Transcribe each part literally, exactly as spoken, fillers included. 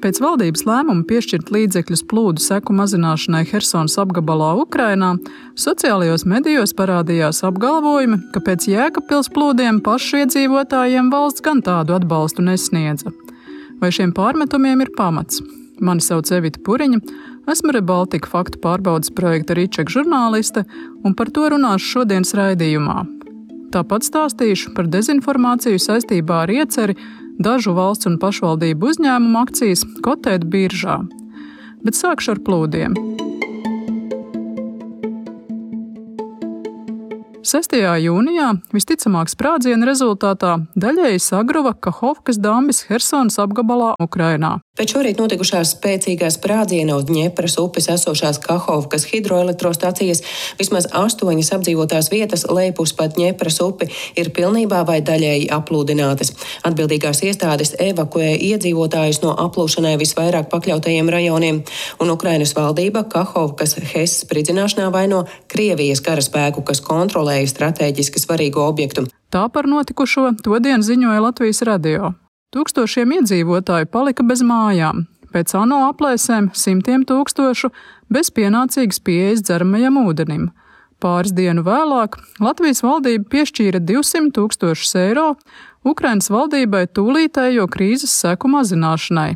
Pēc valdības lēmuma piešķirt līdzekļus plūdu seku mazināšanai Hersonas apgabalā Ukrainā, sociālajos medijos parādījās apgalvojumi, ka pēc Jēkabpils plūdiem pašu iedzīvotājiem valsts gan tādu atbalstu nesniedza. Vai šiem pārmetumiem ir pamats? Mani sauc Evita Puriņa, esmu Rebaltika faktu pārbaudes projekta Ričeka žurnāliste, un par to runāšu šodienas raidījumā. Tāpat stāstīšu par dezinformāciju saistībā ar ieceri dažu valsts un pašvaldību uzņēmumu akcijas kotēt biržā. Bet sākšu ar plūdiem. sestajā jūnijā visticamāk sprādziena rezultātā daļēji sagruva Kahovkas dambis Hersonas apgabalā Ukrainā. Pēc šorīt notikušās spēcīgā sprādziena uz Dņepras upes esošās Kahovkas hidroelektrostacijas vismaz astoņas apdzīvotās vietas lejpus pa Dņepras upi ir pilnībā vai daļēji aplūdinātas. Atbildīgās iestādes evakuē iedzīvotājus no aplūšanai visvairāk pakļautajiem rajoniem, un Ukrainas valdība Kahovkas HES spridzināšanā vaino Krievijas karaspēku, kas kontrolē stratēģiski svarīgu objektu. Tā par notikušo todien ziņoja Latvijas radio. Tūkstošiem iedzīvotāju palika bez mājām. Pēc ANO aplēsēm simtiem tūkstošu bez pienācīgas pieejas dzeramajam ūdenim. Pāris dienu vēlāk Latvijas valdība piešķīra divsimt tūkstošus eiro Ukrainas valdībai tūlītējo krīzes seku mazināšanai.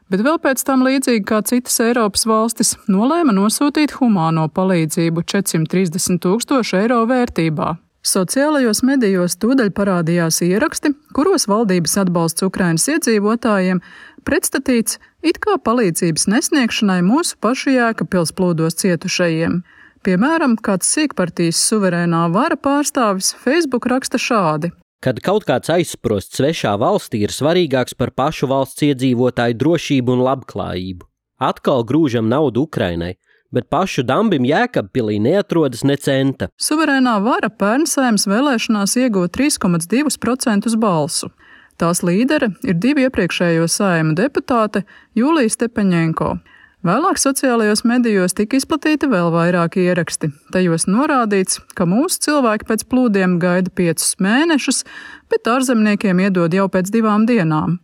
Bet vēl pēc tam, līdzīgi kā citas Eiropas valstis, nolēma nosūtīt humāno palīdzību četrsimt trīsdesmit tūkstošu eiro vērtībā. Sociālajos medijos tūdaļ parādījās ieraksti, kuros valdības atbalsts Ukrainas iedzīvotājiem pretstatīts it kā palīdzības nesniegšanai mūsu pašu Jēkabpils plūdos cietušajiem. Piemēram, kāds sīkpartijas suverēnā vara pārstāvis Facebook raksta šādi. Kad kaut kāds aizsprost svešā valstī, ir svarīgāks par pašu valsts iedzīvotāju drošību un labklājību. Atkal grūžam naudu Ukrainai, bet pašu dambim Jēkabpilī neatrodas ne centa. Suverēnā vara pērn Saeimas vēlēšanās ieguva trīs komats divi procenti balsu. Tās līdere ir divi iepriekšējo Saeimu deputāte Jūlija Stepaņenko. Vēlāk sociālajos medijos tika izplatīti vēl vairāki ieraksti. Tajos norādīts, ka mūsu cilvēki pēc plūdiem gaida piecus mēnešus, bet ārzemniekiem iedod jau pēc divām dienām.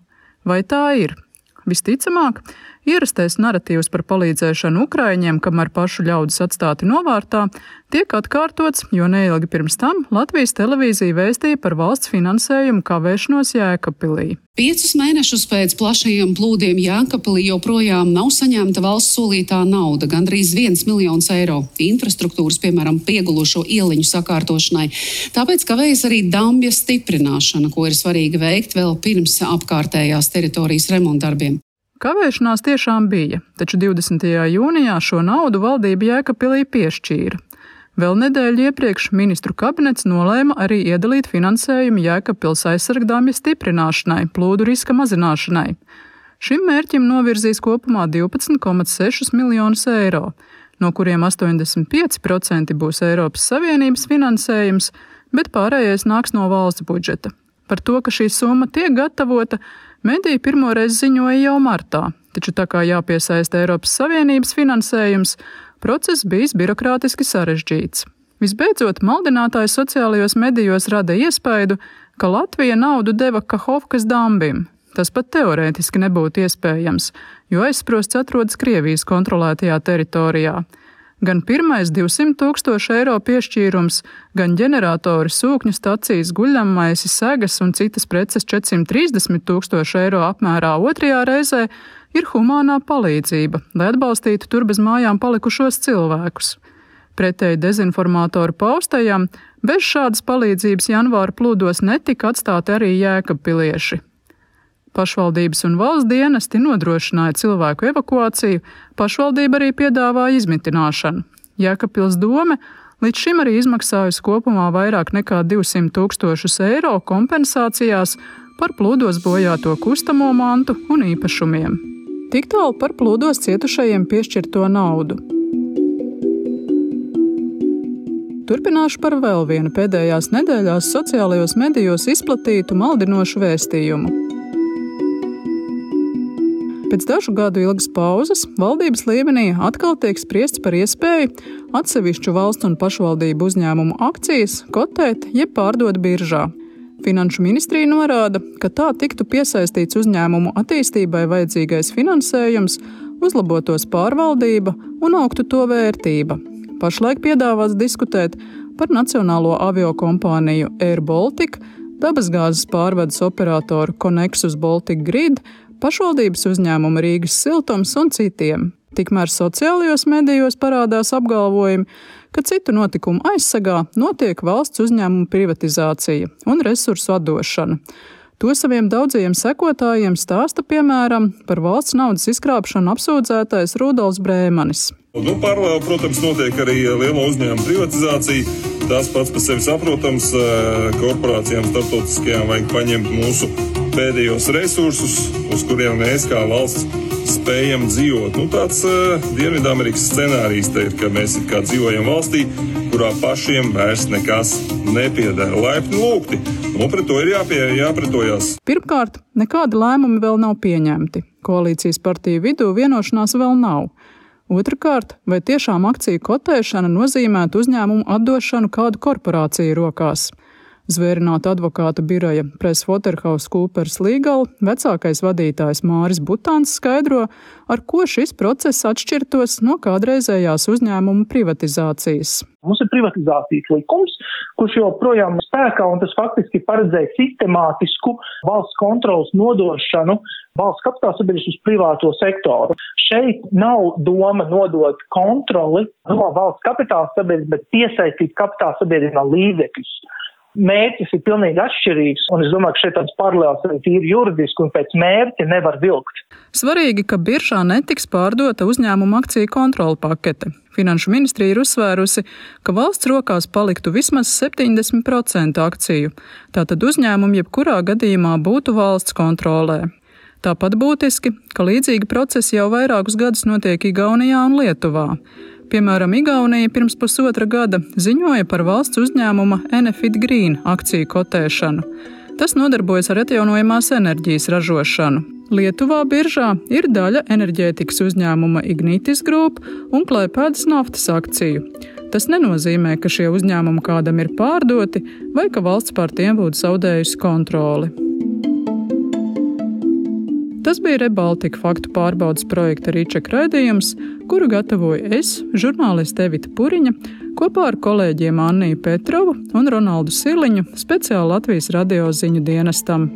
Vai tā ir? Visticamāk, ierastais naratīvs par palīdzēšanu ukraiņiem, kamēr pašu ļaudis atstāti novārtā, tiek atkārtots, jo neilgi pirms tam Latvijas televīzija vēstīja par valsts finansējumu kavēšanos Jēkabpilī. Piecus mēnešus pēc plašajiem plūdiem Jēkabpilī joprojām nav saņemta valsts solītā nauda, gandrīz viens miljons eiro infrastruktūras, piemēram, piegulušo ieliņu sakārtošanai. Tāpēc kavējas arī dambja stiprināšana, ko ir svarīgi veikt vēl pirms apkārtējās teritorijas remontdarbiem. Kavēšanās tiešām bija, taču divdesmitajā jūnijā šo naudu valdība Jēkabpilī piešķīra. Vēl nedēļu iepriekš ministru kabinets nolēma arī iedalīt finansējumu Jēkabpils aizsargdambja stiprināšanai, plūdu riska mazināšanai. Šim mērķim novirzīs kopumā divpadsmit komats seši miljonus eiro, no kuriem astoņdesmit pieci procenti būs Eiropas Savienības finansējums, bet pārējais nāks no valsts budžeta. Par to, ka šī summa tiek gatavota, mediji pirmoreiz ziņoja jau martā, taču tā kā jāpiesaista Eiropas Savienības finansējums, process bijis birokrātiski sarežģīts. Visbeidzot, maldinātāji sociālajos medijos rada iespaidu, ka Latvija naudu deva Kahovkas dambim. Tas pat teorētiski nebūtu iespējams, jo aizsprosts atrodas Krievijas kontrolētajā teritorijā. Gan pirmais divsimt tūkstoši eiro piešķīrums, gan ģeneratori, sūkņu stacijas, guļammaisi, segas un citas preces četrsimt trīsdesmit tūkstoši eiro apmērā otrajā reizē ir humānā palīdzība, lai atbalstītu tur bez mājām palikušos cilvēkus. Pretēji dezinformātoru paustajam, bez šādas palīdzības janvāra plūdos netika atstāti arī jēkabpilieši. Pašvaldības un valsts dienesti nodrošināja cilvēku evakuāciju, pašvaldība arī piedāvāja izmitināšanu. Jēkabpils dome līdz šim arī izmaksājusi kopumā vairāk nekā divsimt tūkstošus eiro kompensācijās par plūdos bojāto kustamo mantu un īpašumiem. Tik tālu par plūdos cietušajiem piešķirto naudu. Turpināšu par vēl vienu pēdējās nedēļās sociālajos medijos izplatītu maldinošu vēstījumu. Pēc dažu gadu ilgas pauzes valdības līmenī atkal tiek spriests par iespēju atsevišķu valsts un pašvaldību uzņēmumu akcijas kotēt jeb pārdot biržā. Finanšu ministrija norāda, ka tā tiktu piesaistīts uzņēmumu attīstībai vajadzīgais finansējums, uzlabotos pārvaldība un augtu to vērtība. Pašlaik piedāvāts diskutēt par nacionālo aviokompāniju Air Baltica, dabasgāzes pārvades operatoru Connexus Baltic Grid, pašvaldības uzņēmumu Rīgas Siltums un citiem. Tikmēr sociālajos medijos parādās apgalvojumi, ka citu notikumu aizsegā notiek valsts uzņēmumu privatizācija un resursu atdošana. To saviem daudzajiem sekotājiem stāsta, piemēram, par valsts naudas izkrāpšanu apsūdzētais Rudolfs Brēmanis. Nu, paralēli, protams, notiek arī lielo uzņēmumu privatizācija. Tas pats par sevi saprotams, korporācijām starptautiskajām vajag paņemt mūsu pēdējos resursus, uz kuriem mēs kā valsts spējam dzīvot. Nu, tāds uh, Dienvidamerikas scenārijs te ir, ka mēs it kā dzīvojam valstī, kurā pašiem vairs nekas nepiedara. Laipni lūgti. Nu, pret to ir jāpie, jāpretojās. Pirmkārt, nekādi lēmumi vēl nav pieņemti. Koalīcijas partiju vidū vienošanās vēl nav. Otrakārt, vai tiešām akciju kotēšana nozīmētu uzņēmumu atdošanu kādu korporāciju rokās? Zvērināta advokāta biroja PricewaterhouseCoopers Legal vecākais vadītājs Māris Butāns skaidro, ar ko šis process atšķirtos no kādreizējās uzņēmumu privatizācijas. Mums ir privatizācijas likums, kurš joprojām spēkā, un tas faktiski paredzēja sistemātisku valsts kontrolas nodošanu valsts kapitāla sabiedrības uz privāto sektoru. Šeit nav doma nodot kontroli no valsts kapitāla sabiedrības, bet piesaistīt kapitāla sabiedrībā līdzekļus. Mērķis ir pilnīgi atšķirīgs, un es domāju, ka šeit tāds paralēls arī tīri juridiski un pēc mērķa nevar vilkt. Svarīgi, ka biržā netiks pārdota uzņēmuma akciju kontrola pakete. Finanšu ministrija ir uzsvērusi, ka valsts rokās paliktu vismaz septiņdesmit procenti akciju. Tātad uzņēmumi jebkurā gadījumā būtu valsts kontrolē. Tāpat būtiski, ka līdzīgi procesi jau vairākus gadus notiek Igaunijā un Lietuvā. Piemēram, Igaunija pirms pusotra gada ziņoja par valsts uzņēmuma Enefit Green akciju kotēšanu. Tas nodarbojas ar atjaunojamās enerģijas ražošanu. Lietuvā biržā ir daļa enerģētikas uzņēmuma Ignitis Group un Klaipēdas naftas akciju. Tas nenozīmē, ka šie uzņēmumi kādam ir pārdoti vai ka valsts pār tiem būtu zaudējusi kontroli. Tas bija ReBaltica faktu pārbaudes projekta Rīčeka raidījums, kuru gatavoju es, žurnāliste Evita Puriņa, kopā ar kolēģiem Anniju Petrovu un Ronaldu Siliņu speciāli Latvijas radio ziņu dienestam.